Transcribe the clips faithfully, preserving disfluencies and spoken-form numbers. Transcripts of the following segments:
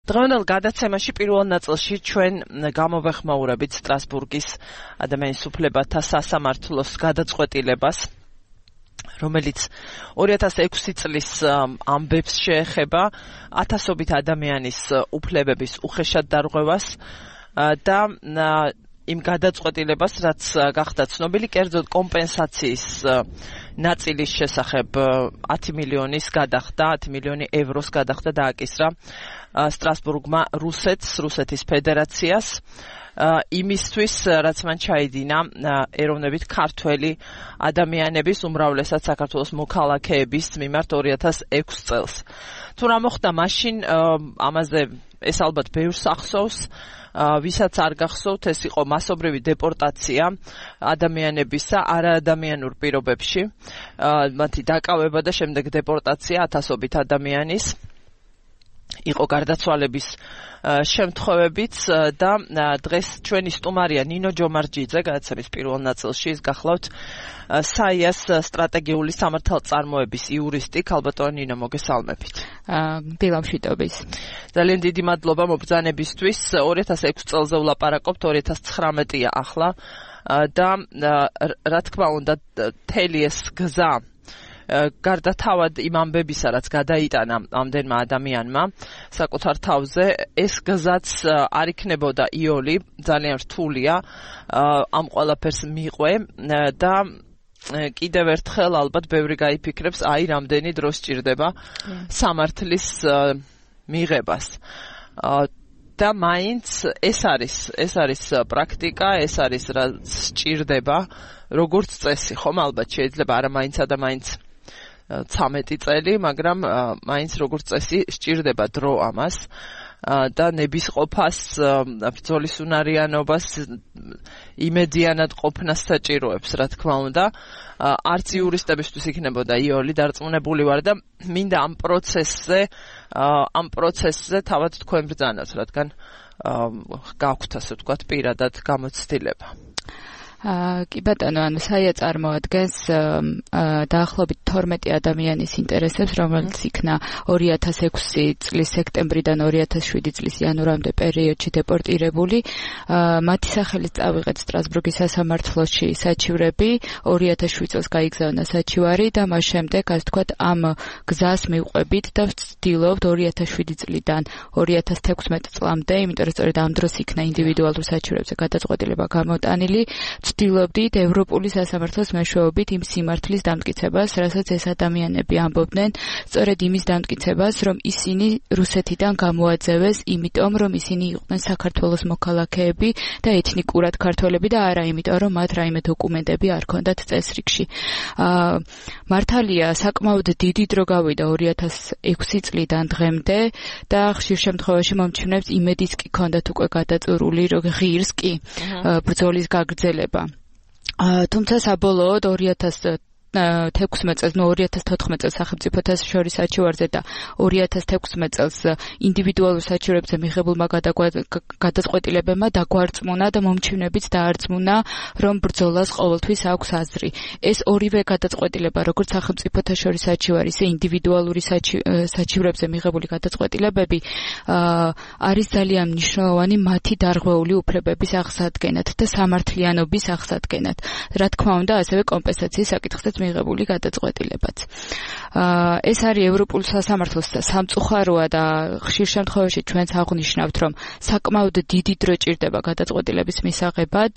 დღევანდელ გადაცემაში პირველ ნაწილში ჩვენ გამოვეხმაურებით სტრასბურგის ადამიანის უფლებათა სასამართლოს გადაწყვეტილებას, რომელიც ორი ათას ექვსი წლის ამბებს შეეხება ათასობით ადამიანის უფლებების უხეშად დარღვევას და იმ გადაწყვეტილებას, რაც გახდა ცნობილი, კერძოდ კომპენსაციის ნაწილის შესახებ ათი მილიონის გადახდა, ათი მილიონი ევროს გადახდა დააკისრა სტრასბურგმა რუსეთს, რუსეთის ფედერაციას, იმისთვის, რაც მან ჩაიდინა ეროვნებით ქართველი ადამიანების, უმრავლესად საქართველოს მოქალაქეების მიმართ ორი ათას ექვსი წელს. თუ რა მოხდა მაშინ, ამაზე ეს ალბათ ბევრს ახსოვს, ვისაც არ გახსოვთ, ეს იყო მასობრივი დეპორტაცია ადამიანებისა არაადამიანურ პირობებში, მათი დაკავება და შემდეგ დეპორტაცია ათასობით ადამიანის. იყო გარდაცვალების შემთხვევებიც და დღეს ჩვენი სტუმარია ნინო ჯომარჯიძე, გადაცემის პირველ ნაწილში, ის გახლავთ საიას სტრატეგიული სამართალწარმოების იურისტი. ქალბატონო ნინო, მოგესალმებით. დილამშვიდობის. ძალიან დიდი მადლობა მობრძანებისთვის. ორი ათას ექვსი წელზე ვლაპარაკობთ, ორი ათას ცხრამეტია ახლა და რა თქმა უნდა, მთელი ეს გზა გარდა თავად იმ ამბებისა, რაც გადაიტანა ამდენმა ადამიანმა საკუთარ თავზე, ეს გზაც არ იქნებოდა იოლი, ძალიან რთულია ამ ყველაფერს მიყვე და კიდევ ერთხელ ალბათ ბევრი გაიფიქრებს, აი რამდენი დრო სჭირდება სამართლის მიღებას. და მაინც ეს არის, ეს არის პრაქტიკა, ეს არის რაც სჭირდება, როგორც წესი, ხომ ალბათ შეიძლება არა მაინცა და მაინც ცამეტი წელი, მაგრამ მაინც როგორც წესი სჭირდება დრო ამას და ნებისყოფას, ბრძოლის უნარიანობას, იმედიანად ყოფნას საჭიროებს, რა თქმა უნდა. არც იურისტებისთვის იქნებოდა იოლი, დარწმუნებული ვარ და მინდა ამ პროცესზე, ამ პროცესზე თავად თქვენ ბრძანოთ, რადგან გაქვთ, ასე ვთქვათ, პირადად გამოცდილება. კი ბატონო, ანუ საია წარმოადგენს დაახლოებით თორმეტი ადამიანის ინტერესებს, რომელიც იქნა ორი ათას ექვსი წლის სექტემბრიდან ორი ათას შვიდი წლის იანვრამდე პერიოდში დეპორტირებული. მათი სახელით წავიღეთ სტრასბურგის სასამართლოში საჩივრები, ორი ათას შვიდი წელს გაიგზავნა საჩივარი და მას შემდეგ, ასე ვთქვათ, ამ გზას მივყვებით და ვცდილობთ ორი ათას შვიდი წლიდან ორი ათას თექვსმეტ წლამდე, იმიტომ რომ სწორედ ამ დროს იქნა ინდივიდუალურ საჩივრებზე გადაწყვეტილება გამოტანილი. ვცდილობდით ევროპული სასამართლოს მეშვეობით იმ სიმართლის დამტკიცებას, რასაც ეს ადამიანები ამბობდნენ, სწორედ იმის დამტკიცებას, რომ ისინი რუსეთიდან გამოაძევეს, იმიტომ რომ ისინი იყვნენ საქართველოს მოქალაქეები და ეთნიკურად ქართველები და არა იმიტომ, რომ მათ რაიმე დოკუმენტები არ ჰქონდათ წესრიგში. მართალია, საკმაოდ დიდი დრო გავიდა ორი ათას ექვსი წლიდან დღემდე და ხშირ შემთხვევაში მომჩნევს იმედიც კი ჰქონდათ უკვე გადაწურული, რომ ღირს კი ბრძოლის გაგრძელება. თუმცა საბოლოოდ ორი ათას თექვსმეტ წელს, ნუ ორი ათას თოთხმეტ წელს სახელმწიფოთა შორის საჩივარზე და ორი ათას თექვსმეტ წელს ინდივიდუალურ საჩივრებზე მიღებულმა გადაწყვეტილებებმა დაგვარწმუნა და მომჩივნებიც დაარწმუნა, რომ ბრძოლას ყოველთვის აქვს აზრი. ეს ორივე გადაწყვეტილება, როგორც სახელმწიფოთა შორის საჩივარი, ისე ინდივიდუალური საჩივრებზე მიღებული გადაწყვეტილებები არის ძალიან მნიშვნელოვანი მათი დარღვეული უფლებების აღსადგენად და სამართლიანობის აღსადგენად. რა თქმა უნდა, ასევე კომპენსაციის საკითხსაც მიღებული გადაწყვეტილებაც. ეს არის ევროპულ სასამართლოს სამწუხაროა და ხშირ შემთხვევაში ჩვენც აღვნიშნავთ, რომ საკმაოდ დიდი დრო ჭირდება გადაწყვეტილების მისაღებად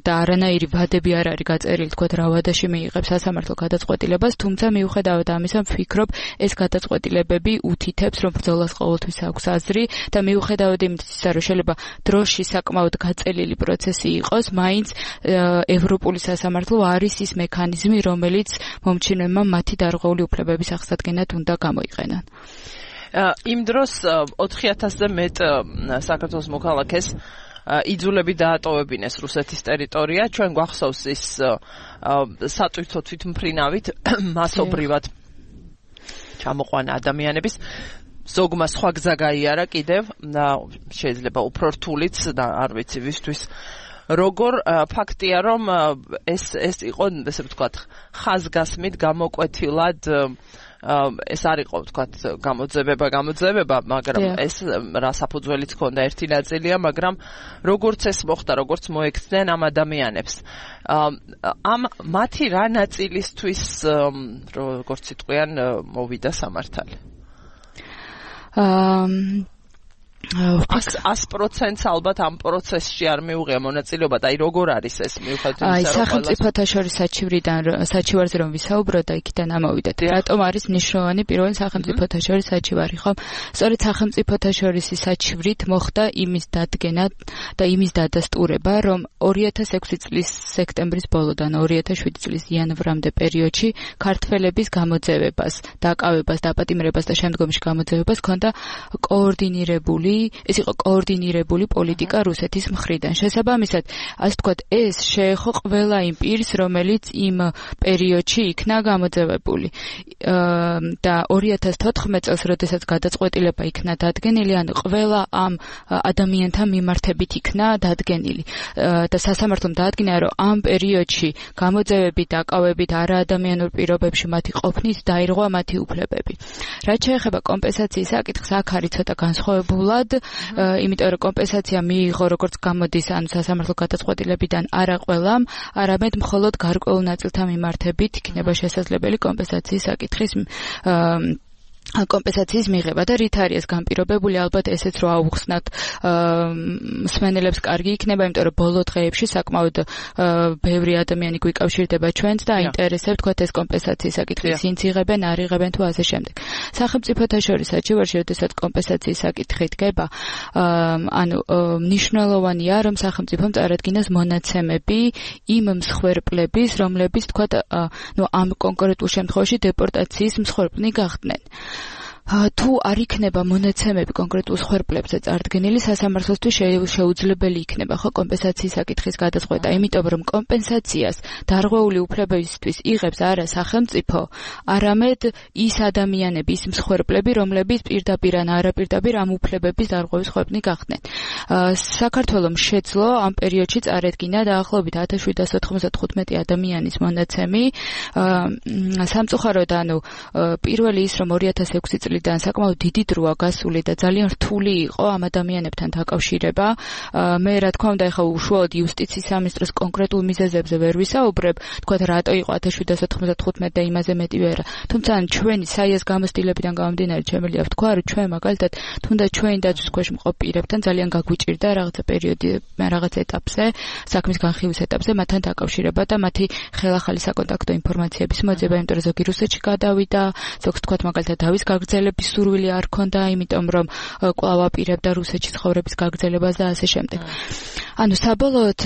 და არანაირი ვადები არ არის გაწერილი, თქვათ რა ვადაში მიიღებს სასამართლო გადაწყვეტილებას, თუმცა მიუხედავად ამისა, ვფიქრობ, ეს გადაწყვეტილებები უთითებს, რომ ბრძოლას ყოველთვის აქვს აზრი და მიუხედავად იმისა, რომ შეიძლება დროში საკმაოდ გაწელილი პროცესი იყოს, მაინც ევროპული სასამართლო არის ის მექანიზმი, რომელიც მომჩინებმა მათი დარღვეული უფლებების აღსადგენად უნდა გამოიყენონ. იმ დროს ოთხი ათასზე მეტ საქართველოს მოქალაქეს იძულები დაატოვებინეს რუსეთის ტერიტორია. ჩვენ გვახსოვს ის სატვირთო თვითმფრინავით მასობრივად ჩამოყვანა ადამიანების. ზოგმა სხვა გზა გაიარა კიდევ, შეიძლება უფრო რთულიც და არ ვიცი ვისთვის როგორ ფაქტია, რომ ეს ეს იყო, ესე ვთქვათ, ხაზგასმით გამოკვეთილად ეს არ იყო ვთქვათ გამოძებება გამოძებება, მაგრამ ეს რა საფუძველიც ჰქონდა ერთი ნაწილია, მაგრამ როგორც ეს მოხდა, როგორც მოექცნენ ამ ადამიანებს. ამ მათი რა ნაწილისთვის როგორც იტყვიან მოვიდა სამართალი? აა ას პროცენტს ალბათ ამ პროცესში არ მიუღია მონაწილეობა და აი როგორ არის ეს მიუხედავად იმისა რომ აი სახელმწიფოთა შორის საჩივრიდან საჩივარზე რომ ვისაუბროთ და იქიდან ამოვიდეთ რატომ არის მნიშვნელოვანი პირველი სახელმწიფოთა შორის საჩივარი ხო სწორედ სახელმწიფოთა შორის საჩივრით მოხდა იმის დადგენა და იმის დადასტურება რომ ორი ათას ექვსი წლის სექტემბრის ბოლოდან ორი ათას შვიდი წლის იანვრამდე პერიოდში ქართველების გამოძევებას დაკავებას დაპატიმრებას და შემდგომში გამოძევებას ჰქონდა კოორდინირებული ეს იყო კოორდინირებული პოლიტიკა რუსეთის მხრიდან. შესაბამისად, ასე ვთქვათ, ეს შეეხო ყველა იმ პირს, რომელიც იმ პერიოდში იქნა გამოძევებული. და ორი ათას თოთხმეტ წელს, როდესაც გადაწყვეტილება იქნა დადგენილი, ანუ ყველა ამ ადამიანთა მიმართებით იქნა დადგენილი. და სასამართლომ დაადგინა, რომ ამ პერიოდში გამოძევებით, დაკავებით არაადამიანურ პირობებში მათი ყოფნის დაირღვა მათი უფლებები. რაც შეეხება კომპენსაციის საკითხს, აქ არის ცოტა განსხვავებული იმიტომ რომ კომპენსაცია მიიღო როგორც გამოდის ანუ სასამართლო გადაწყვეტილებიდან არა ყველამ, არამედ მხოლოდ გარკვეულ ნაწილთა მიმართებით იქნება შესაძლებელი კომპენსაციის საკითხის კომპენსაციის მიღება და რით არის ეს განპირობებული ალბათ ესეც რო აუხსნათ მსმენელებს კარგი იქნება იმიტომ რომ ბოლო დღეებში საკმაოდ ბევრი ადამიანი გვიკავშირდება ჩვენს და აინტერესებს თქვათ ეს კომპენსაციის საკითხი სინც იღებენ არ იღებენ თუ ასე შემდეგ სახელმწიფოთა შორის საჩივარში როდესაც კომპენსაციის საკითხი დგება ანუ მნიშვნელოვანია რომ სახელმწიფომ წარადგინოს მონაცემები იმ მსხვერპლების რომლებიც თქვათ ნუ ამ კონკრეტულ შემთხვევაში დეპორტაციის მსხვერპლნი გახდნენ თუ არ იქნება მონაცემები კონკრეტულ მსხვერპლებზე წარდგენილი სასამართლოსთვის შეუძლებელი იქნება ხო კომპენსაციის საკითხის გადაწყვეტა იმიტომ რომ კომპენსაციას დარღვეული უფლებებისთვის იღებს არა სახელმწიფო არამედ ის ადამიანები ის მსხვერპლები რომლებიც პირდაპირ ან არაპირდაპირ ამ უფლებების დარღვევის მსხვერპლნი გახდნენ საქართველოს შეძლო ამ პერიოდში წარედგინა დაახლოებით ათას შვიდსათ ოთხმოცდათხუთმეტი ადამიანის მონაცემი სამწუხაროდ ანუ პირველი ის რომ ორი ათას ექვსი წლის და საკმაოდ დიდი დროა გასული და ძალიან რთული იყო ამ ადამიანებთან დაკავშირება. მე რა თქმა უნდა ეხა უშუალოდ იუსტიციის სამინისტროს კონკრეტულ მიზეზებზე ვერ ვისაუბრებ, თქვათ რატო იყო ათას შვიდსათ ოთხმოცდათხუთმეტი და იმაზე მეტი ვერა. თუმცა ჩვენი საიას გამოცდილებიდან გამომდინარე შემიძლია ვთქვა, რომ ჩვენ მაგალითად თუნდაც ჩვენი დაცვის ქვეშ მყოფ პირებთან ძალიან გაგვიჭირდა რაღაცა პერიოდი, რაღაც ეტაპზე, საქმის განხილვის ეტაპზე მათთან დაკავშირება და მათი ხელახალი საკონტაქტო ინფორმაციების მოძება, იმიტომ რომ ზოგი რუსეთში გადავიდა, ზოგს თქვათ მაგალითად დავის გაგრძელება სურვილი არ ქონდა, იმიტომ რომ კვლავ აპირებდა რუსეთში ცხოვრების გაგრძელებას და ასე შემდეგ. ანუ საბოლოოდ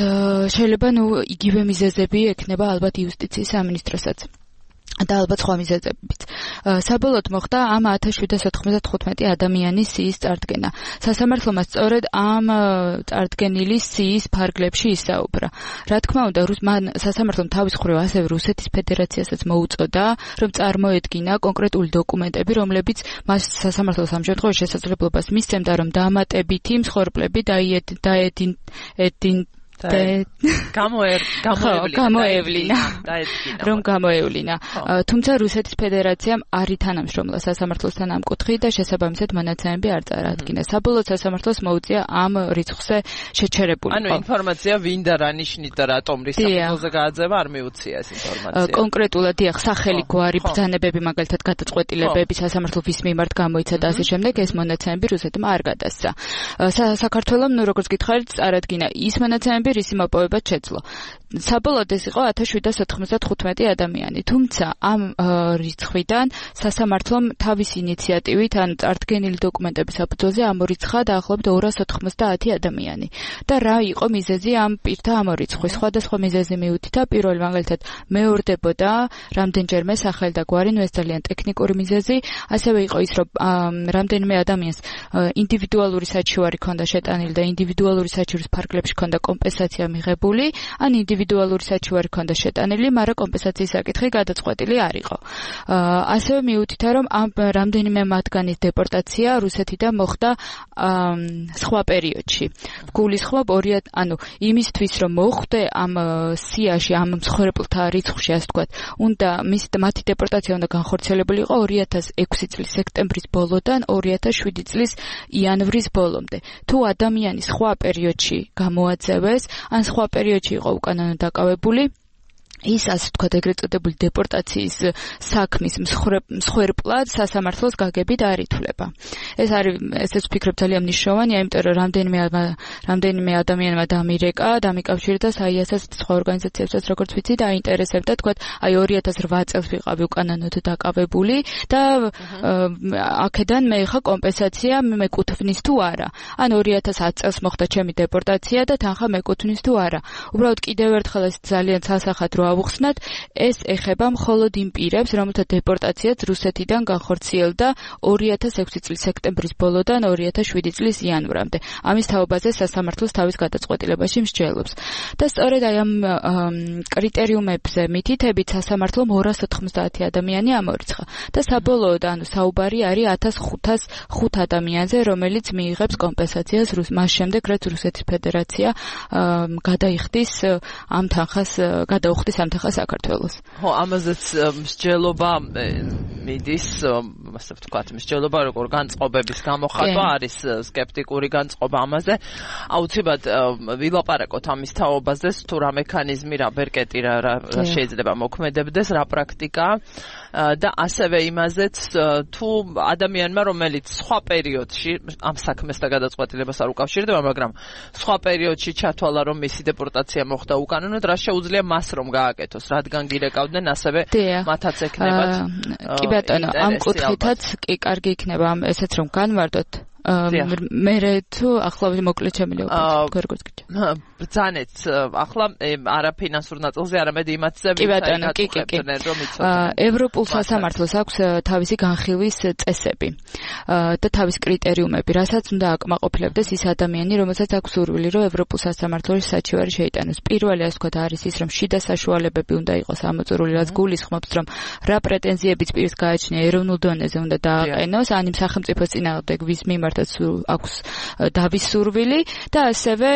შეიძლება ნუ იგივე მიზეზები ექნება ალბათ იუსტიციის სამინისტროსაც. და ალბათ სხვა მიზეზებიც. საბოლოოდ მოხდა ამ ათას შვიდსათ ოთხმოცდათხუთმეტი ადამიანის სიის წარდგენა. სასამართლომ სწორედ ამ წარდგენილი სიის ფარგლებში ისაუბრა. რა თქმა უნდა, მან სასამართლომ თავის მხრივ ასევე რუსეთის ფედერაციასაც მოუწოდა, რომ წარმოედგინა კონკრეტული დოკუმენტები, რომლებიც მას სასამართლოს ამ შემთხვევაში შესაძლებლობას მისცემდა, რომ დამატებითი მსხვერპლები დაედინ გამოევლინა რომ გამოევლინა თუმცა რუსეთის ფედერაციამ არ ითანამშრომლა სასამართლოსთან ამ კუთხით და შესაბამისად მონაცემები არ წარადგინა საბოლოოდ სასამართლოს მოუწია ამ რიცხვზე შეჩერებულიყო ანუ ინფორმაცია ვინ და რა ნიშნით და რატომ რის საფუძველზე გააძევა არ მიუწია ეს ინფორმაცია კონკრეტულად დიახ სახელი გვარი ბრძანებები მაგალითად გადაწყვეტილებები სასამართლოს მიმართ გამოიცა და ასე შემდეგ ეს მონაცემები რუსეთმა არ გადასცა საქართველოს ნუ როგორც გითხარით წარადგინა ის მონაცემები რისი მოპოვებაც შეძლო. საბოლოოდ ეს იყო ათას შვიდსათ ოთხმოცდათხუთმეტი ადამიანი. თუმცა ამ რიცხვიდან სასამართლომ თავის ინიციატივით ან წარდგენილი დოკუმენტების საფუძველზე ამორიცხა დაახლოებით ორას ოთხმოცდაათი ადამიანი. და რა იყო მიზეზი ამ პირთა ამორიცხვის? სხვადასხვა მიზეზი მიუთითა. პირველი მაგალითად მეორდებოდა რამდენჯერმე სახელი და გვარი, ნუ ეს ძალიან ტექნიკური მიზეზი. ასევე იყო ის, რომ რამდენიმე ადამიანს ინდივიდუალური საჩივარი ჰქონდა შეტანილი და ინდივიდუალური საჩივრის ფარგლებში ჰქონდა კომპენსაცია კომპენსაცია მიღებული, ან ინდივიდუალური საჩივარი ჰქონდა შეტანილი, მაგრამ კომპენსაციის საკითხი გადაწყვეტილი არ იყო. ასევე მიუთითა, რომ ამ რამდენიმე მათგანის დეპორტაცია რუსეთიდან მოხდა სხვა პერიოდში. გულისხმობ ორი, ანუ იმისთვის, რომ მოხვდე ამ სიაში, ამ მსხვერპლთა რიცხვში, ასე ვთქვათ, უნდა მის მათი დეპორტაცია უნდა განხორციელებული იყო ორი ათას ექვსი წლის სექტემბრის ბოლოდან ორი ათას შვიდი წლის იანვრის ბოლომდე. თუ ადამიანი სხვა პერიოდში გამოაძევეს, ან სხვა პერიოდში იყო უკანონო დაკავებული, ის ასე ვთქვათ, ეგრეთ წოდებული დეპორტაციის საქმის მსხვერპლად სასამართლოს გაგებით არ ითვლება. ეს არის, ესეც ვფიქრობ, ძალიან მნიშვნელოვანია, იმიტომ რომ რამდენიმე რამდენიმე ადამიანმა დამირეკა, დამიკავშირდა საიასას სხვა ორგანიზაციებსაც, როგორც ვიცი, დაინტერესებდა, თქვათ, აი ორი ათას რვა წელს ვიყავი უკანონოდ დაკავებული და აქედან მე ხა კომპენსაცია მეკუთვნის თუ არა. ან ორი ათას ათი წელს მოხდა ჩემი დეპორტაცია და თანხა მეკუთვნის თუ არა. უბრალოდ კიდევ ერთხელ ეს ძალიან სასახად რო ავუხსნათ, ეს ეხება მხოლოდ იმ პირებს, რომელთა დეპორტაციაც რუსეთიდან განხორციელდა ორი ათას ექვსი წლის სექტემბრის ბოლოდან ორი ათას შვიდი წლის იანვრამდე. ამის თაობაზე სასამართლოს თავის გადაწყვეტილებაში მსჯელობს. და სწორედ აი ამ კრიტერიუმებზე მითითებით სასამართლომ ორას ოთხმოცდაათი ადამიანი ამორიცხა. და საბოლოოდ, ანუ საუბარი არის ათას ხუთას ხუთ ადამიანზე, რომელიც მიიღებს კომპენსაციას მას შემდეგ, რაც რუსეთის ფედერაცია გადაიხდის ამ თანხას, გადაუხდის ამ თანხას საქართველოს. ხო, ამაზეც მსჯელობა მიდის, ასე ვთქვათ, მსჯელობა როგორ განწყობების გამოხატვა არის სკეპტიკური განწყობა ამაზე. აუცილებლად ვილაპარაკოთ ამის თაობაზე, თუ რა მექანიზმი, რა ბერკეტი რა შეიძლება მოქმედებდეს, რა პრაქტიკა და ასევე იმაზეც, თუ ადამიანმა, რომელიც სხვა პერიოდში ამ საქმეს და გადაწყვეტილებას არ უკავშირდება, მაგრამ სხვა პერიოდში ჩათვალა, რომ მისი დეპორტაცია მოხდა უკანონოდ, რა შეუძლია მას რომ გააკეთოს, რადგან გირეკავდნენ ასევე მათაც ექნებათ. კი ბატონო, ამ კუთხითაც კი კარგი იქნება ამ ესეც რომ განვარდოთ. მე თუ ახლა მოკლედ შემიძლია უკვე როგორც გიჩვენე. ბრძანეთ ახლა არა ფინანსურ ნაწილზე, არამედ იმათზე ვიწყებდნენ რომ იცოდნენ. ევროპულ სასამართლოს აქვს თავისი განხილვის წესები და თავის კრიტერიუმები, რასაც უნდა აკმაყოფილებდეს ის ადამიანი, რომელსაც აქვს სურვილი, რომ ევროპულ სასამართლოში საჩივარი შეიტანოს. პირველი, ასე ვთქვათ, არის ის, რომ შიდა საშუალებები უნდა იყოს ამოწურული, რაც გულისხმობს, რომ რა პრეტენზიებიც პირს გააჩნია ეროვნულ დონეზე უნდა დააყენოს, ან იმ სახელმწიფოს წინააღმდეგ ვის მიმართ აქვს დავის სურვილი და ასევე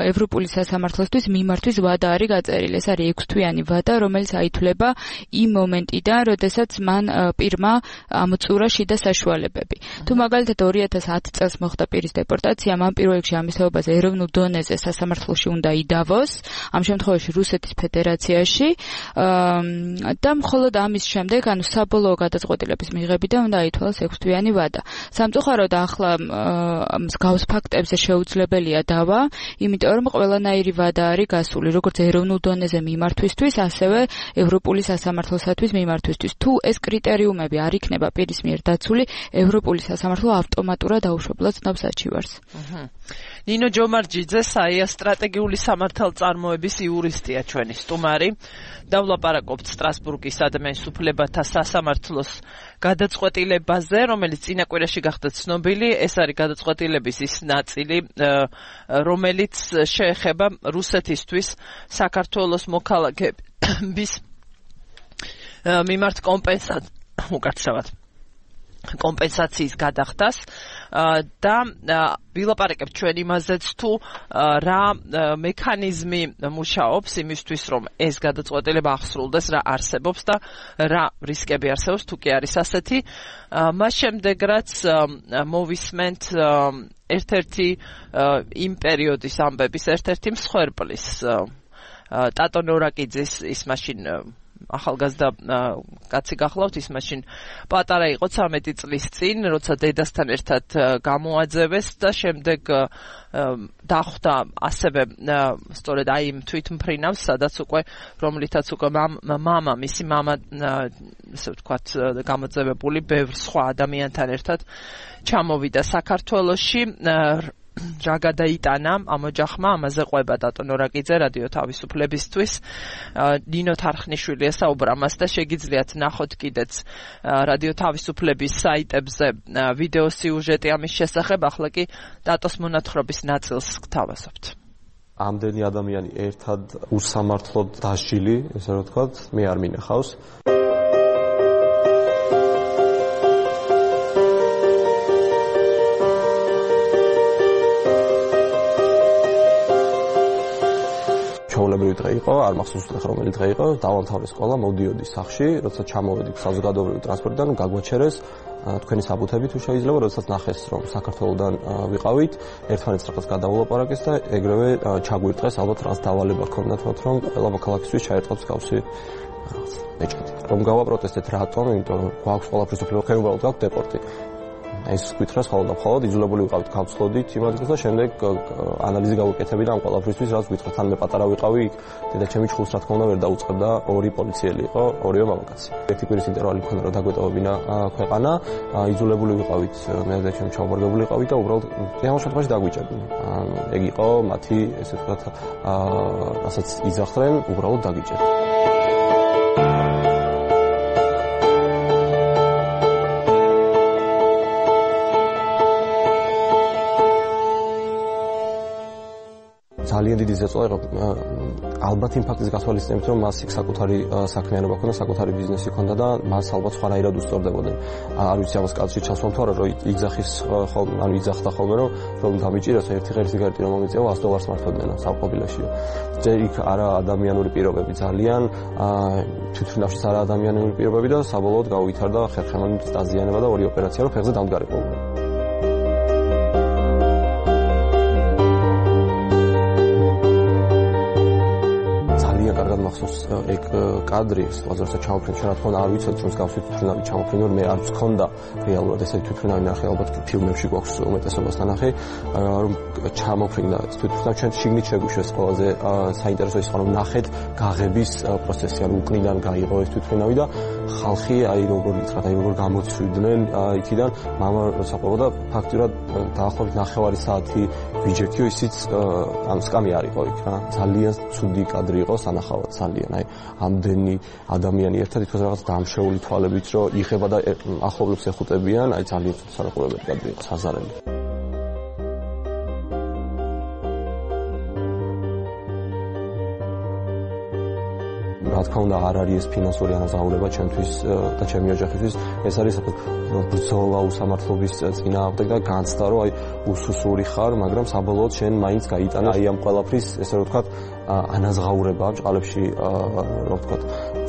ევროპული სასამართლოსთვის მიმართვის ვადა არის გაწერილი. ეს არის ექვსთვიანი ვადა, რომელიც აითვლება იმ მომენტიდან, როდესაც მან პირმა ამოწურა შიდა საშუალებები. თუ მაგალითად ორი ათას ათი წელს მოხდა პირის დეპორტაცია, მან პირველ რიგში ამის თაობაზე ეროვნულ დონეზე სასამართლოში უნდა იდავოს, ამ შემთხვევაში რუსეთის ფედერაციაში და მხოლოდ ამის შემდეგ, ანუ საბოლოო გადაწყვეტილების მიღებიდან უნდა აითვალოს ექვსთვიანი ვადა. სამწუხაროდ ახლა მსგავს ფაქტებზე შეუძლებელია დავა, იმიტომ რომ ყველანაირი ვადა არის გასული, როგორც ეროვნულ დონეზე მიმართვისთვის, ასევე ევროპული სასამართლოსათვის მიმართვისთვის. თუ ეს კრიტერიუმები არ იქნება პირის მიერ დაცული, ევროპული სასამართლო ავტომატურად დაუშვებლად ცნობს საჩივარს. ნინო ჯომარჯიძე, საია სტრატეგიული სამართალწარმოების იურისტია ჩვენი სტუმარი. დავლაპარაკობთ სტრასბურგის ადამიანის უფლებათა სასამართლოს გადაწყვეტილებაზე, რომელიც წინა კვირაში გახდა ცნობილი. ეს არის გადაწყვეტილების ის ნაწილი, რომელიც შეეხება რუსეთისთვის საქართველოს მოქალაქეების მიმართ კომპენსაციას, უკაცრავად კომპენსაციის გადახდას და ვილაპარაკებთ ჩვენ იმაზეც, თუ რა მექანიზმი მუშაობს იმისთვის, რომ ეს გადაწყვეტილება ახსრულდეს, რა არსებობს და რა რისკები არსებობს, თუ კი არის ასეთი. მას შემდეგ, რაც მოვისმენთ ერთ-ერთი იმ პერიოდის ამბების ერთ-ერთი მსხვერპლის ტატო ნორაკიძის, ის მაშინ ახალგაზრდა კაცი გახლავთ, ის მაშინ პატარა იყო ცამეტი წლის წინ, როცა დედასთან ერთად გამოაძევეს და შემდეგ დახვდა ასევე სწორედ აი იმ თვითმფრინავს, სადაც უკვე რომლითაც უკვე მამა, მისი მამა, ასე ვთქვათ, გამოძევებული ბევრ სხვა ადამიანთან ერთად ჩამოვიდა საქართველოში. რა გადაიტანა ამ ოჯახმა, ამაზე ყვება ტატო ნორაკიძე რადიო თავისუფლებისთვის. ნინო თარხნიშვილი ესაუბრა მას და შეგიძლიათ ნახოთ კიდეც რადიო თავისუფლების საიტებზე ვიდეო სიუჟეტი ამის შესახებ. ახლა კი ტატოს მონათხრობის ნაწილს გთავაზობთ. ამდენი ადამიანი ერთად უსამართლოდ დასჯილი, ესე რომ ვთქვათ, მე არ მინახავს. ჩვეულებრივი დღე იყო, არ მახსოვს დღე რომელი დღე იყო, დავამთავრე სკოლა, მოვდიოდი სახლში, როცა ჩამოვედი საზოგადოებრივი ტრანსპორტიდან, გაგვაჩერეს თქვენი საბუთები თუ შეიძლება, როდესაც ნახეს, რომ საქართველოსდან ვიყავით, ერთმანეთს რაღაც გადაულაპარაკეს და ეგრევე ჩაგვირტყეს, ალბათ რაღაც დავალება ქონდათ, რომ ყველა მოქალაქისთვის ჩაერწყათ მსგავსი რაღაც ეჭვი. რომ გავაპროტესტეთ რატომ? იმიტომ რომ გვაქვს ყველაფრის უფლება, ხეუბალოდ გვაქვს დეპორტი. ეს ვკითხრას ხოლმე და მხოლოდ იძულებული ვიყავით გავცხოდით იმ ადგილას და შემდეგ ანალიზი გავუკეთებდი ამ ყველაფრისთვის, რაც ვკითხოთ. თან მე პატარა ვიყავი, დედაჩემი ჩხულს რა თქმა უნდა ვერ დაუწყებდა, ორი პოლიციელი იყო, ორივე მამაკაცი. ერთი კვირის ინტერვალი მქონდა, რომ დაგვეტოვებინა ქვეყანა, იძულებული ვიყავით, მე და ჩემი ჩავმარგებული ვიყავით და უბრალოდ ამ შემთხვევაში დაგვიჭერდნენ. ეგ იყო მათი, ესე ვთქვათ, რასაც იძახდნენ, უბრალოდ დაგიჭერდნენ. ძალიან დიდი ზეწოლა იყო ალბათ იმ ფაქტის გასვალისწინებით, რომ მას იქ საკუთარი საქმიანობა ჰქონდა, საკუთარი ბიზნესი ჰქონდა და მას ალბათ სხვანაირად უსწორდებოდნენ. არ ვიცი ამას კაცში ჩასვამ თუ არა, რომ იძახის ხოლმე, ანუ იძახდა ხოლმე, რომ რომ დამიჭიროს ერთი ღერი სიგარეტი რომ მომიწევა ას დოლარს მართობდნენ სამყოფილოშიო. ჯერ იქ არა ადამიანური პირობები ძალიან, თვითმფრინავშიც არა ადამიანური პირობები და საბოლოოდ გაუვითარდა ხერხემალი დაზიანება და ორი ოპერაცია რომ ფეხზე დამდგარიყო. კარგად მახსოვს ეგ კადრი, როცა ჩამოფრინე, რა თქმა უნდა არ ვიცოდი, რომ მსგავსი თვითმფრინავი ჩამოფრინე, მე არ მქონდა რეალურად ესეთი თვითმფრინავი ნახე, ალბათ ფილმებში გვაქვს უმეტესობას ნახე, რომ ჩამოფრინდა თვითმფრინავი, ჩვენ შიგნით შეგვიშვეს ყველაზე საინტერესო ის, რომ ნახეთ გაღების პროცესი, ანუ უკნიდან გაიღო ეს თვითმფრინავი და ხალხი აი როგორ ითხრათ, აი როგორ გამოცვიდნენ იქიდან, მამა საყოველთაოდ ფაქტურად დაახლოებით ნახევარი საათი ვიჯექიო, ისიც ამ სკამი არ იყო იქ რა. ძალიან ცუდი კადრი იყო, სანახავად ძალიან. აი ამდენი ადამიანი ერთად ითქოს რაღაც დამშეული თვალებით, რომ იხება და ახლობლებს ეხუტებიან, აი ძალიან სანახულებელი კადრი იყო, საზარელი. რა თქმა უნდა არ არის ეს ფინანსური ანაზღაურება ჩემთვის და ჩემი ოჯახისთვის, ეს არის ბრძოლა უსამართლობის წინააღმდეგ და განცდა, რომ აი უსუსური ხარ, მაგრამ საბოლოოდ შენ მაინც გაიტანა აი ამ ყველაფრის, ესე რომ ვთქვათ, ანაზღაურება ბჭყალებში, რომ ვთქვათ,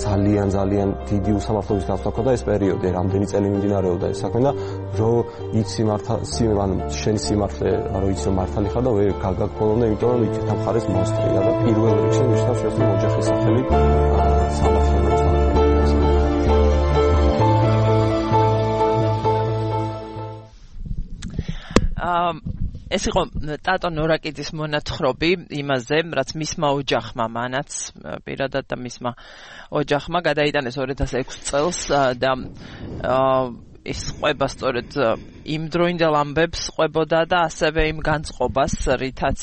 ძალიან ძალიან დიდი უსამართლობის განცდა ქონდა ეს პერიოდი, რამდენი წელი მიმდინარეობდა ეს საქმე და რომ იცი მართალი, ანუ შენი სიმართლე, რომ იცი რომ მართალი ხარ და ვერ გაგაგონდა, იმიტომ რომ იქით ამხარეს მონსტრია და პირველ რიგში მიშნავს შენ ოჯახის სახელით სამართლიანობას. ეს იყო ტატო ნორაკიძის მონათხრობი იმაზე, რაც მისმა ოჯახმა, მანაც პირადად და მისმა ოჯახმა გადაიტანეს ორი ათას ექვსი წელს და ის ყვება სწორედ იმ დროინდელ ამბებს ყვებოდა და ასევე იმ განწყობას, რითაც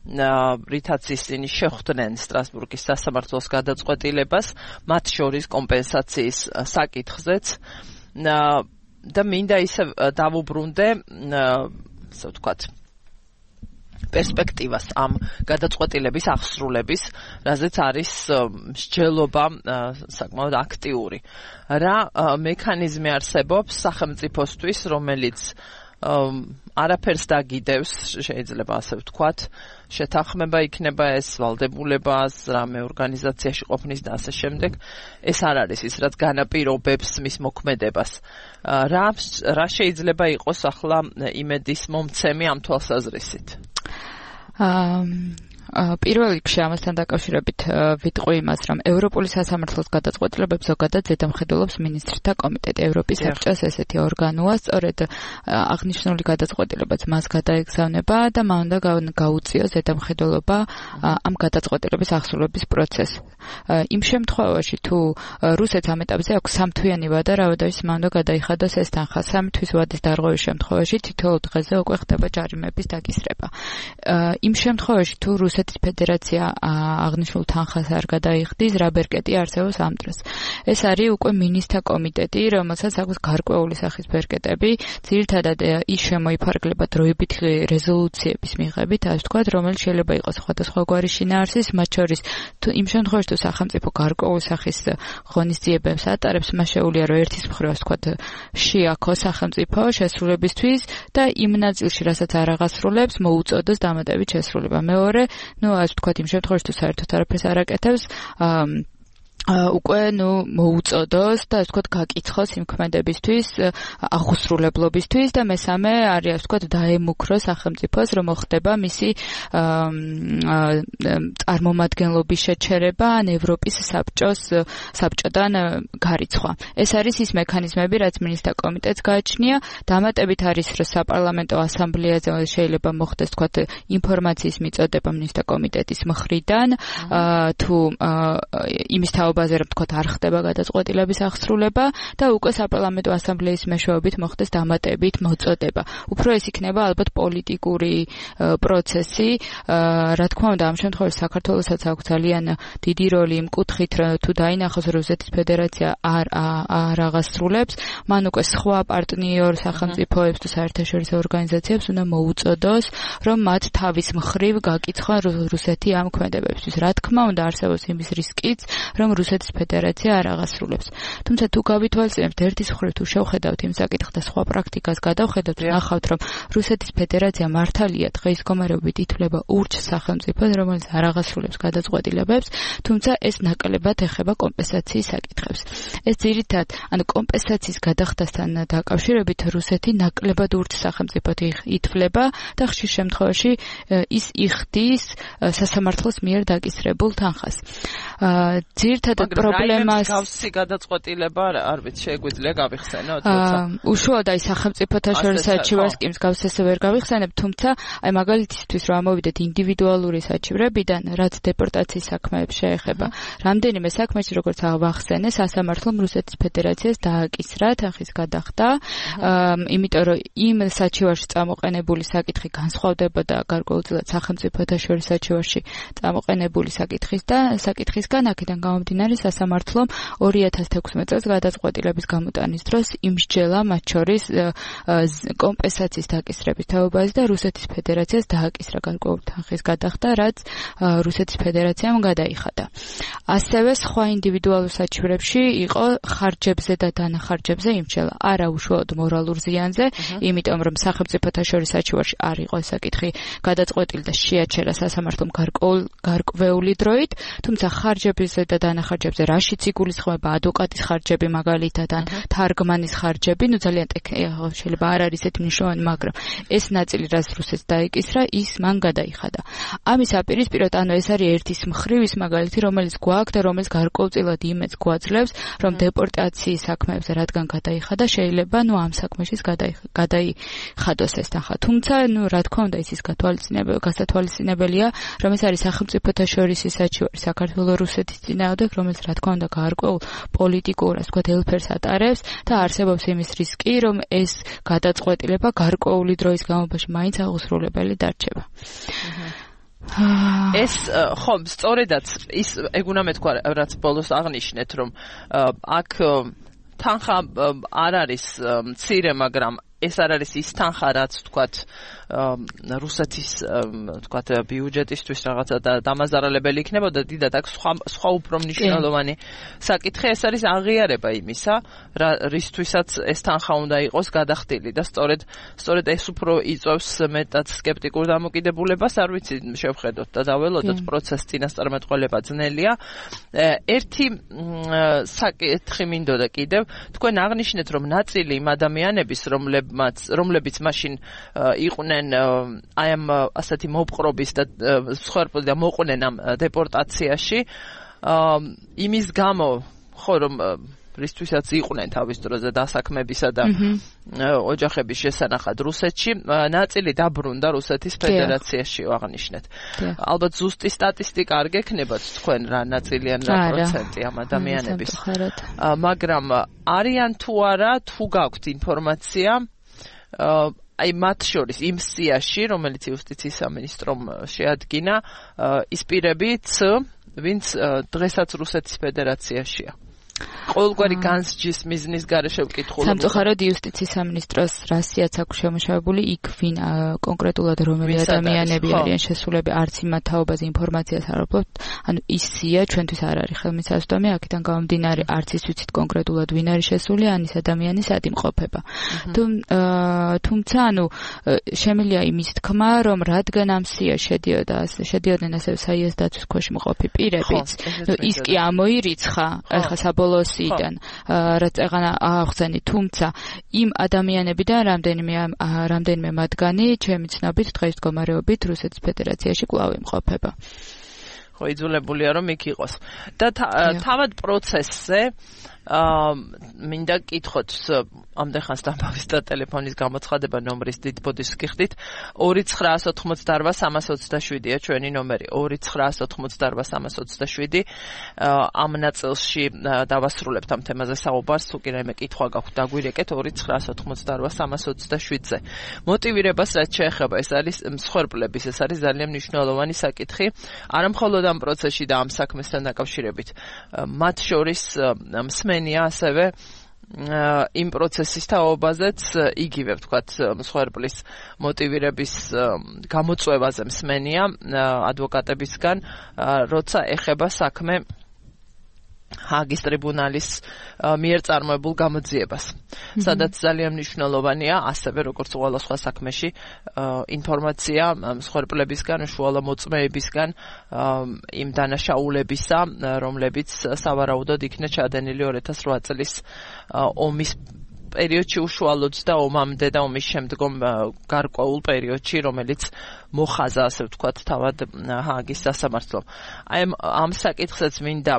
რითაც ისინი შეხვდნენ სტრასბურგის სასამართლოს გადაწყვეტილებას, მათ შორის კომპენსაციის საკითხზეც და მინდა ისე დავუბრუნდე, ასე ვთქვათ, პერსპექტივას ამ გადაწყვეტილების აღსრულების, რაზეც არის მსჯელობა საკმაოდ აქტიური. რა მექანიზმი არსებობს სახელმწიფოსთვის, რომელიც არაფერს დაგიდევს, შეიძლება ასე ვთქვათ, შეთანხმება იქნება ეს ვალდებულებას, რამე ორგანიზაციაში ყოფნის და ასე შემდეგ. ეს არ არის ის, რაც განაპირობებს მის მოქმედებას. რა რა შეიძლება იყოს ახლა იმედის მომცემი ამ თვალსაზრისით? პირველ რიგში ამასთან დაკავშირებით ვიტყვი იმას, რომ ევროპული სასამართლოს გადაწყვეტილებებს ზოგადად ზედამხედველობს მინისტრთა კომიტეტი, ევროპის საბჭოს ესეთი ორგანოა, სწორედ აღნიშნული გადაწყვეტილებაც მას გადაეგზავნება და მან უნდა გაუწიოს ზედამხედველობა ამ გადაწყვეტილების აღსრულების პროცესს. იმ შემთხვევაში, თუ რუსეთს ამ ეტაპზე აქვს სამთვიანი ვადა, რაოდენობის მან უნდა გადაიხადოს ეს თანხა. სამი თვის ვადის დარღვევის შემთხვევაში თითოეულ დღეზე უკვე ხდება ჯარიმების დაკისრება. იმ შემთხვევაში, თუ რუსეთს რუსეთის ფედერაცია აღნიშნულ თანხას არ გადაიხდის, რა ბერკეტი არსებობს ამ დროს. ეს არის უკვე მინისტრთა კომიტეტი, რომელსაც აქვს გარკვეული სახის ბერკეტები, ძირითადად ის შემოიფარგლება დროებითი რეზოლუციების მიღებით, ასე ვთქვათ, რომელიც შეიძლება იყოს სხვადასხვაგვარი შინაარსის, მათ შორის თუ იმ შემთხვევაში თუ სახელმწიფო გარკვეული სახის ღონისძიებებს ატარებს, მას შეუძლია რომ ერთის მხრივ, ასე ვთქვათ, შეაქოს სახელმწიფო შესრულებისთვის და იმ ნაწილში, რასაც არ აღასრულებს, მოუწოდოს დამატებით შესრულება. მეორე, ну, ასე ვთქვათ, იმ შემთხვევაში თუ საერთოდ არაფერს არ აკეთებს, უკვე ნუ მოუწოდოს და ასე ვთქვათ გაკიცხოს იმ ქმედებისთვის, აღუსრულებლობისთვის და მესამე არის ასე ვთქვათ დაემუქროს სახელმწიფოს, რომ მოხდება მისი წარმომადგენლობის შეჩერება ან ევროპის საბჭოს საბჭოდან გარიცხვა. ეს არის ის მექანიზმები, რაც მინისტრთა კომიტეტს გააჩნია. დამატებით არის, რომ საპარლამენტო ასამბლეაზე შეიძლება მოხდეს ვთქვათ ინფორმაციის მიწოდება მინისტრთა კომიტეტის მხრიდან, თუ იმის ბაზაზე რომ თქვა არ ხდება გადაწყვეტილების აღსრულება და უკვე საპარლამენტო ასამბლეის მეშვეობით მოხდეს დამატებით მოწოდება. უფრო ეს იქნება ალბათ პოლიტიკური პროცესი, რა თქმა უნდა ამ შემთხვევაში საქართველოსაც აქვს ძალიან დიდი როლი იმ კუთხით, თუ დაინახოს რუსეთის ფედერაცია არ არ აღასრულებს, მან უკვე სხვა პარტნიორ სახელმწიფოებს თუ საერთაშორისო ორგანიზაციებს უნდა მოუწოდოს, რომ მათ თავის მხრივ გაკიცხონ რუსეთი ამ ქმედებებისთვის. რა თქმა უნდა არსებობს იმის რისკიც, რომ რუსეთის ფედერაცია არ აღასრულებს. თუმცა თუ გავითვალისწინებთ ერთის მხრივ თუ შევხედავთ იმ საკითხს და სხვა პრაქტიკას გადავხედავთ, ნახავთ რომ რუსეთის ფედერაცია მართალია დღის მდგომარეობით ითვლება ურჩ სახელმწიფოს, რომელიც არ აღასრულებს გადაწყვეტილებებს, თუმცა ეს ნაკლებად ეხება კომპენსაციის საკითხებს. ეს ძირითადად, ანუ კომპენსაციის გადახდასთან დაკავშირებით რუსეთი ნაკლებად ურჩ სახელმწიფოდ ითვლება და ხშირ შემთხვევაში ის იხდის სასამართლოს მიერ დაკისრებულ თანხას. ძირითადად პრობლემას გავსი გადაწყვეტილება არ ვიცი შეგვიძლია გავიხსენოთ თუმცა უშუალოდ აი სახელმწიფოთა შორის საჩივარს კი მსგავსეს ვერ გავიხსენებ, თუმცა აი მაგალითისთვის რომ ამოვიდეთ ინდივიდუალური საჩივრებიდან, რაც დეპორტაციის საქმეებს შეეხება, რამდენიმე საქმეში როგორც აღახსენე, სასამართლომ რუსეთის ფედერაციას დააკისრა თანხის გადახდა, იმიტომ რომ იმ საჩივარში წამოყენებული საკითხი განსხვავდებოდა გარკვეულწილად სახელმწიფოთა შორის საჩივარში წამოყენებული საკითხის და საკითხისგან, აქედან გამომდინარე სასამართლომ ორი ათას თექვსმეტ წელს გადაწყვეტილების გამოტანის დროს იმსჯელა მათ შორის კომპენსაციის დაკისრების თაობაზე და რუსეთის ფედერაციას დააკისრა გარკვეული თანხის გადახდა, რაც რუსეთის ფედერაციამ გადაიხადა. ასევე სხვა ინდივიდუალურ საჩივრებში იყო ხარჯებზე და დანახარჯებზე იმსჯელა, არა უშუალოდ მორალურ ზიანზე, იმიტომ რომ სახელმწიფოთა შორის საჩივარში არ იყო ეს საკითხი გადაწყვეტილი და შეაჩერა სასამართლომ გარკვეული დროით, თუმცა ხარჯებზე და დანახარჯებზე რაშიც იგულისხმება ადვოკატის ხარჯები მაგალითად ან თარგმანის ხარჯები, ნუ ძალიან შეიძლება არ არის ესეთი მნიშვნელოვანი, მაგრამ ეს ნაწილი რაც რუსეთს დაიკისრა, ის მან გადაიხადა. ამის აპირისპიროდ, ანუ ეს არის ერთის მხრივ ის მაგალითი, რომელიც გვაქვს და რომელიც გარკვეულწილად იმედს გვაძლევს, რომ დეპორტაციის საქმეებზე რადგან გადაიხადა, შეიძლება ნუ ამ საქმეშიც გადაიხადოს ეს თანხა. თუმცა, ნუ რა თქმა უნდა, ის ის გასათვალისწინებელია, რომ ეს არის სახელმწიფოთა შორის საჩივარი საქართველოს რუსეთის წინააღმდეგ, რომელიც რა თქმა უნდა გარკვეულ პოლიტიკურ, ასე ვთქვათ, ელფერს ატარებს და არსებობს იმის რისკი, რომ ეს გადაწყვეტილება გარკვეული დროის განმავლობაში მაინც აღუსრულებელი დარჩება. ეს ხომ სწორედაც ის ეგ უნდა მეთქვა, რაც ბოლოს აღნიშნეთ, რომ აქ თანხა არ არის მცირე, მაგრამ ეს არ არის ის თანხა, რაც ვთქვათ რუსეთის ვთქვათ ბიუჯეტისთვის რაღაცა დამაზარალებელი იქნებოდა, დიდად აქ სხვა სხვა უფრო მნიშვნელოვანი საკითხი, ეს არის აღიარება იმისა, რისთვისაც ეს თანხა უნდა იყოს გადახდილი და სწორედ სწორედ ეს უფრო იწვევს მეტად სკეპტიკურ დამოკიდებულებას, არ ვიცი შევხედოთ და დაველოდოთ პროცესს წინასწარმეტყველება ძნელია. ერთი საკითხი მინდოდა კიდევ, თქვენ აღნიშნეთ, რომ ნაწილი იმ ადამიანების, რომლებმაც რომლებიც მაშინ იყვნენ აი ამ ასეთი მოპყრობის და მსხვერპლი და მოყვნენ ამ დეპორტაციაში, იმის გამო, ხო რომ რისთვისაც იყვნენ თავის დროზე დასაქმებისა და ოჯახების შესანახად რუსეთში, ნაწილი დაბრუნდა რუსეთის ფედერაციაში აღნიშნეთ. ალბათ ზუსტი სტატისტიკა არ გექნებათ თქვენ რა ნაწილი ან რა პროცენტი ამ ადამიანების, მაგრამ არიან თუ არა, თუ გაქვთ ინფორმაცია აი მათ შორის იმ სიაში, რომელიც იუსტიციის სამინისტრომ შეადგინა, ის პირებიც, ვინც დღესაც რუსეთის ფედერაციაშია. ყოველგვარი განსჯის მიზნის გარეშე ვკითხულობ. სამწუხაროდ იუსტიციის სამინისტროს რასიაც აქვს შემოშავებული, იქ ვინ კონკრეტულად რომელი ადამიანები არიან შესულები, არც იმ თაობაზე ინფორმაციას არ ვფლობთ. ანუ ის სია ჩვენთვის არ არის ხელმისაწვდომი, აქედან გამომდინარე არც ის ვიცით კონკრეტულად ვინ არის შესული, ან ის ადამიანი სად იმყოფება. თუმცა, ანუ შემიძლია იმის თქმა, რომ რადგან ამ სია შედიოდა, შედიოდნენ ასევე საიას დაცვის ქვეშ მყოფი პირებიც, ის კი ამოირიცხა, ეხლა საბოლოოსიდან, რაც ეღანა აღხსენი, თუმცა იმ ადამიანებიდან რამდენიმე რამდენიმე მათგანი ჩემი ცნობით დღეს მდგომარეობით რუსეთის ფედერაციაში კვლავ იმყოფება. ხო, იძულებულია რომ იქ იყოს. და თავად პროცესზე აა მინდა კითხოთ ამდენ ხანს დამბავის და ტელეფონის გამოცხადება ნომრის დიდ ბოდიშს გიხდით ორი ცხრაას ოთხმოცდაარბა სამას ოცდაშვიდია ჩვენი ნომერი ორი ცხრაას ოთხმოცდაარბა სამას ოცდაშვიდი ამ ნაწილში დავასრულებთ ამ თემაზე საუბარს თუ კი რაიმე კითხვა გაქვთ დაგვირეკეთ ორი ცხრაას ოთხმოცდაარბა სამას ოცდაშვიდზე მოტივირებას რაც შეეხება ეს არის მსხვერპლების ეს არის ძალიან მნიშვნელოვანი საკითხი არა მხოლოდ ამ პროცესში და ამ საქმესთან დაკავშირებით მათ შორის მსმენია ასევე იმ პროცესის თაობაზეც იგივე ვთქვათ მსხვერპლის მოტივირების გამოწვევაზე მსმენია ადვოკატებისგან როცა ეხება საქმე ჰაგის ტრიბუნალის მიერ წარმოებულ გამოძიებას სადაც ძალიან მნიშვნელოვანია ასევე როგორც ყველა სხვა საქმეში ინფორმაცია მსხვერპლებისგან უშუალო მოწმეებისგან იმ დანაშაულებისა რომლებიც სავარაუდოდ იქნა ჩადენილი ორი ათას რვა წლის ომის პერიოდში უშუალოდ და ომამდე და ომის შემდგომ გარკვეულ პერიოდში რომელიც მოხაზა ასე ვთქვათ თავად ჰაგის სასამართლომ. აი ამ საკითხსაც მინდა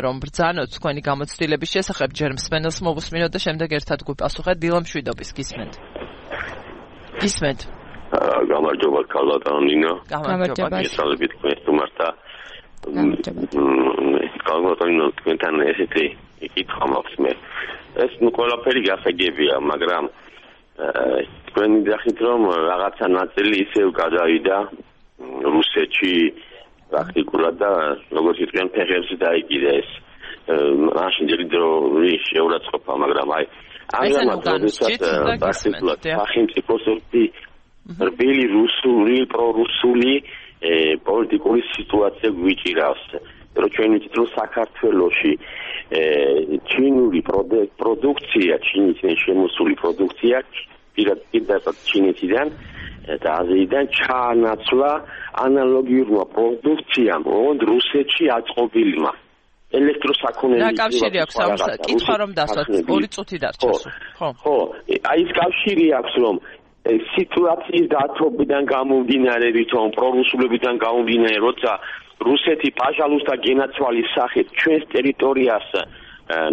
რომ ბრძანოთ თქვენი გამოცდილების შესახებ ჯერ მსმენელს მოვუსმინოთ და შემდეგ ერთად გვიპასუხეთ დილა მშვიდობის გისმენთ. გისმენთ. გამარჯობა კალბატონინო. გამარჯობა. გესალმებით თქვენ თუმართა. კალბატონინო თქვენთან ესეთი კითხვა მაქვს მე. ეს ნუ ყველაფერი გასაგებია, მაგრამ თქვენ ნახეთ რომ რაღაცა ნაწილი ისევ გადავიდა რუსეთში პრაქტიკულად და როგორც იტყვიან ფეხებზე დაიკიდა ეს მაშინ ძირითადად შეურაცხყოფა, მაგრამ აი ამჟამად როდესაც პრაქტიკულად სახელმწიფოს რბილი რუსული, პრორუსული პოლიტიკური სიტუაცია გვიჭირავს. რომ ჩვენ ვიცით რომ საქართველოში ჩინური პროდუქცია, ჩინეთიდან შემოსული პროდუქცია პირდაპირ ჩინეთიდან და აზიიდან ჩაანაცვლა ანალოგიურმა პროდუქციამ ოღონდ რუსეთში აწყობილმა ელექტროსაქონელი რა კავშირი აქვს ამ კითხვა რომ დასვათ ორი წუთი დარჩა ხო ხო აი ეს კავშირი აქვს რომ სიტუაციის დათობიდან გამომდინარე ვითომ პრორუსულებიდან გამომდინარე როცა რუსეთი პაჟალუს და გენაცვალის სახით ჩვენს ტერიტორიას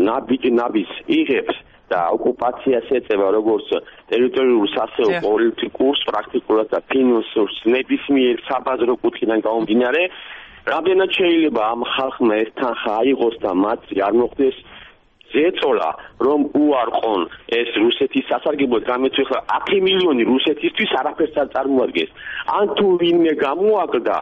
ნაბიჯ ნაბის იღებს და ოკუპაციას ეწევა როგორც ტერიტორიულს ასევე პოლიტიკურს პრაქტიკულად და ფინანსურს ნებისმიერ საბაზრო კუთხიდან გამომდინარე რამდენად შეიძლება ამ ხალხმა ეს თანხა აიღოს და მათი არ მოხდეს ზეწოლა რომ უარყონ ეს რუსეთის სასარგებლოდ გამეცვლა ათი მილიონი რუსეთისთვის არაფერს არ წარმოადგენს ან თუ ვინმე გამოაგდა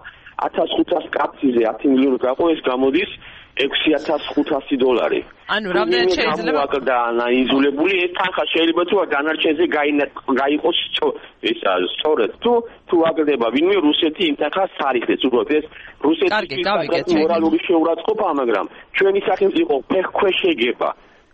ათას ხუთას კაფეზე ათი მილიონი გაყო ეს გამოდის ექვსი ათას ხუთასი დოლარი. ანუ რამდენად შეიძლება და ანალიზებული ეს თანხა შეიძლება თუ დანარჩენზე გაიყოს ეს სწორედ თუ თუ აგდება ვინმე რუსეთი იმ თანხას არიხდეს უბრალოდ ეს რუსეთის მორალური შეურაცხყოფა მაგრამ ჩვენი სახელმწიფო ფეხქვეშ ეგება.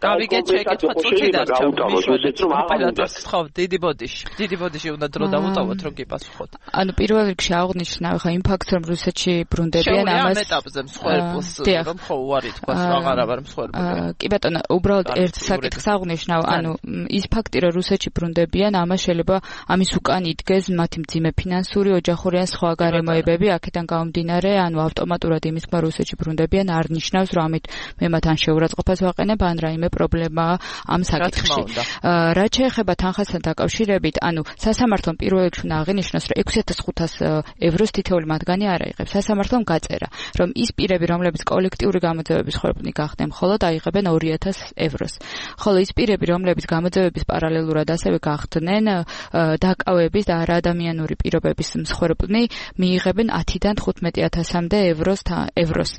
გავიგეთ შეკითხვა წუთი დარჩა მიშველეთ რომ ოპერატორს ხო დიდი ბოდიში დიდი ბოდიში უნდა დრო დავუტოვოთ რომ გიპასუხოთ ანუ პირველ რიგში აღნიშნავ ხა იმ ფაქტს რომ რუსეთში ბრუნდებიან ამას ამ ეტაპზე მსხვერპლს რომ ხო უარი თქვას აღარ აღარ მსხვერპლია კი ბატონო უბრალოდ ერთ საკითხს აღნიშნავ ანუ ის ფაქტი რომ რუსეთში ბრუნდებიან ამას შეიძლება ამის უკან იდგეს მათი მძიმე ფინანსური ოჯახური ან სხვა გარემოებები აქედან გამომდინარე ანუ ავტომატურად იმის ხმა რუსეთში ბრუნდებიან არ ნიშნავს რომ ამით მე მათ ან შეურაცხყოფას ვაყენებ ან რაიმე რამდენიმე პრობლემაა ამ საკითხში. რაც შეეხება თანხასთან დაკავშირებით, ანუ სასამართლომ პირველ რიგში უნდა აღინიშნოს, რომ ექვსი ათას ხუთას ევროს თითოეული მათგანი არ აიღებს. სასამართლომ გაწერა, რომ ის პირები, რომლებიც კოლექტიური გამოძევების ხორბლი გახდნენ, მხოლოდ აიღებენ ორი ათას ევროს. ხოლო ის პირები, რომლებიც გამოძევების პარალელურად ასევე გახდნენ დაკავების და არაადამიანური პირობების მსხვერპლნი, მიიღებენ ათიდან თხუთმეტი ათასამდე ევროს ევროს.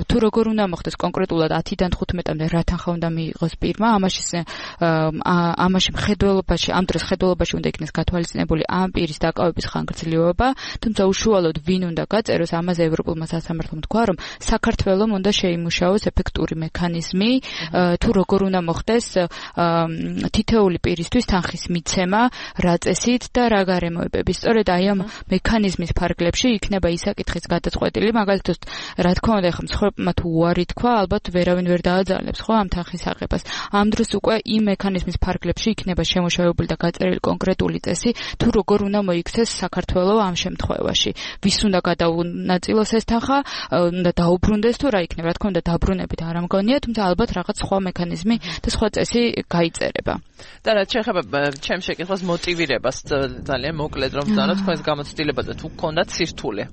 თუ როგორ უნდა მოხდეს კონკრეტულად ათიდან თხუთმეტამდე რა თანხა უნდა მიიღოს პირმა, ამაში ამაში მხედველობაში, ამ დროს მხედველობაში უნდა იქნეს გათვალისწინებული ამ პირის დაკავების ხანგრძლივობა, თუმცა უშუალოდ ვინ უნდა გაწეროს, ამაზე ევროპულმა სასამართლომ თქვა, რომ საქართველოს უნდა შეიმუშაოს ეფექტური მექანიზმი, თუ როგორ უნდა მოხდეს თითოეული პირისთვის თანხის მიცემა, რა წესით და რა გარემოებებით. სწორედ აი ამ მექანიზმის ფარგლებში იქნება ისაკითხის გადაწყვეტილი, მაგალითად, რა თქმა უნდა, ხომ მსხვერპლმა თუ უარი თქვა, ალბათ ვერავინ ვერ დააძალებს, ხო, ამ თანხის აღებას. ამ დროს უკვე იმ მექანიზმის ფარგლებში იქნება შემოშავებული და გაწერილი კონკრეტული წესი, თუ როგორ უნდა მოიქცეს საქართველოს ამ შემთხვევაში. ვის უნდა გადაუნაწილოს ეს თანხა, უნდა დაუბრუნდეს თუ რა იქნება, რა თქმა უნდა, დაბრუნებით არ ამგონია, თუმცა ალბათ რაღაც სხვა მექანიზმი და სხვა წესი გაიწერება. და რაც შეეხება ჩემს შეკითხვას მოტივირებას, ძალიან მოკლედ რომ ვთქვა, თქვენს გამოცდილებაზე თუ გქონდათ სირთულე.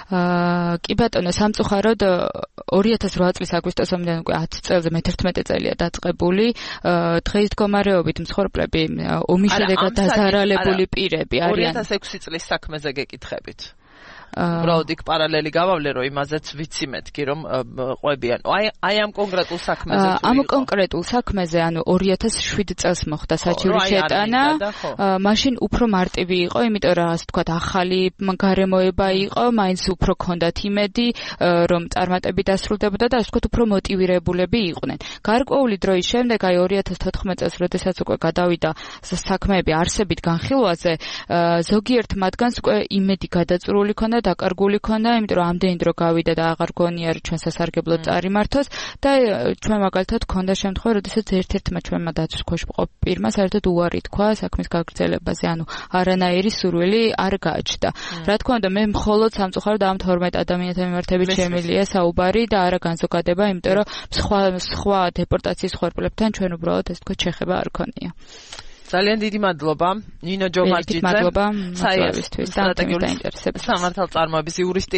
აა კი ბატონო, სამწუხაროდ ორი ათას რვა წლის აგვისტოსამდე უკვე ათი წელზე მეთერთმეტე წელია დაწყებული. დღეს მდგომარეობით მსხვერპლები ომის შედეგად დაზარალებული პირები არიან. ორი ათას ექვსი წლის საქმეზე გეკითხებით. უბრალოდ იქ პარალელი გავავლე, რომ იმაზეც ვიცი მეთქი, რომ ყვებიან. აი აი ამ კონკრეტულ საქმეზე თუ ამ კონკრეტულ საქმეზე, ანუ ორი ათას შვიდი წელს მოხდა საჩივი შეტანა. მაშინ უფრო მარტივი იყო, იმიტომ რომ ასე ვთქვათ, ახალი გარემოება იყო, მაინც უფრო ქონდათ იმედი, რომ წარმატები დასრულდებოდა და ასე ვთქვათ, უფრო მოტივირებულები იყვნენ. გარკვეული დროის შემდეგ, აი ორი ათას თოთხმეტ წელს, როდესაც უკვე გადავიდა საქმეები არსებით განხილვაზე, ზოგიერთ მათგანს უკვე იმედი გადაწურული ქონდა, დაკარგული ქონდა, იმიტომ რომ ამდენი დრო გავიდა და აღარ გონია რომ ჩვენ სასარგებლოდ წარიმართოს და ჩვენ მაგალითად ქონდა შემთხვევა, როდესაც ერთ-ერთმა ჩვენმა დაცვის ქვეშ მყოფ პირმა საერთოდ უარი თქვა საქმის გაგრძელებაზე, ანუ არანაირი სურვილი არ გააჩნდა. რა თქმა უნდა, მე მხოლოდ სამწუხაროდ ამ თორმეტ ადამიანთან მიმართებით შემილია საუბარი და არა განზოგადება, იმიტომ რომ სხვა სხვა დეპორტაციის ხორბლებთან ჩვენ უბრალოდ ეს თქვა შეხება არ ქონია. ძალიან დიდი მადლობა ნინო ჯომარჯიძე, საერთოდ სტრატეგიული დაინტერესების სამართალწარმოების იურისტი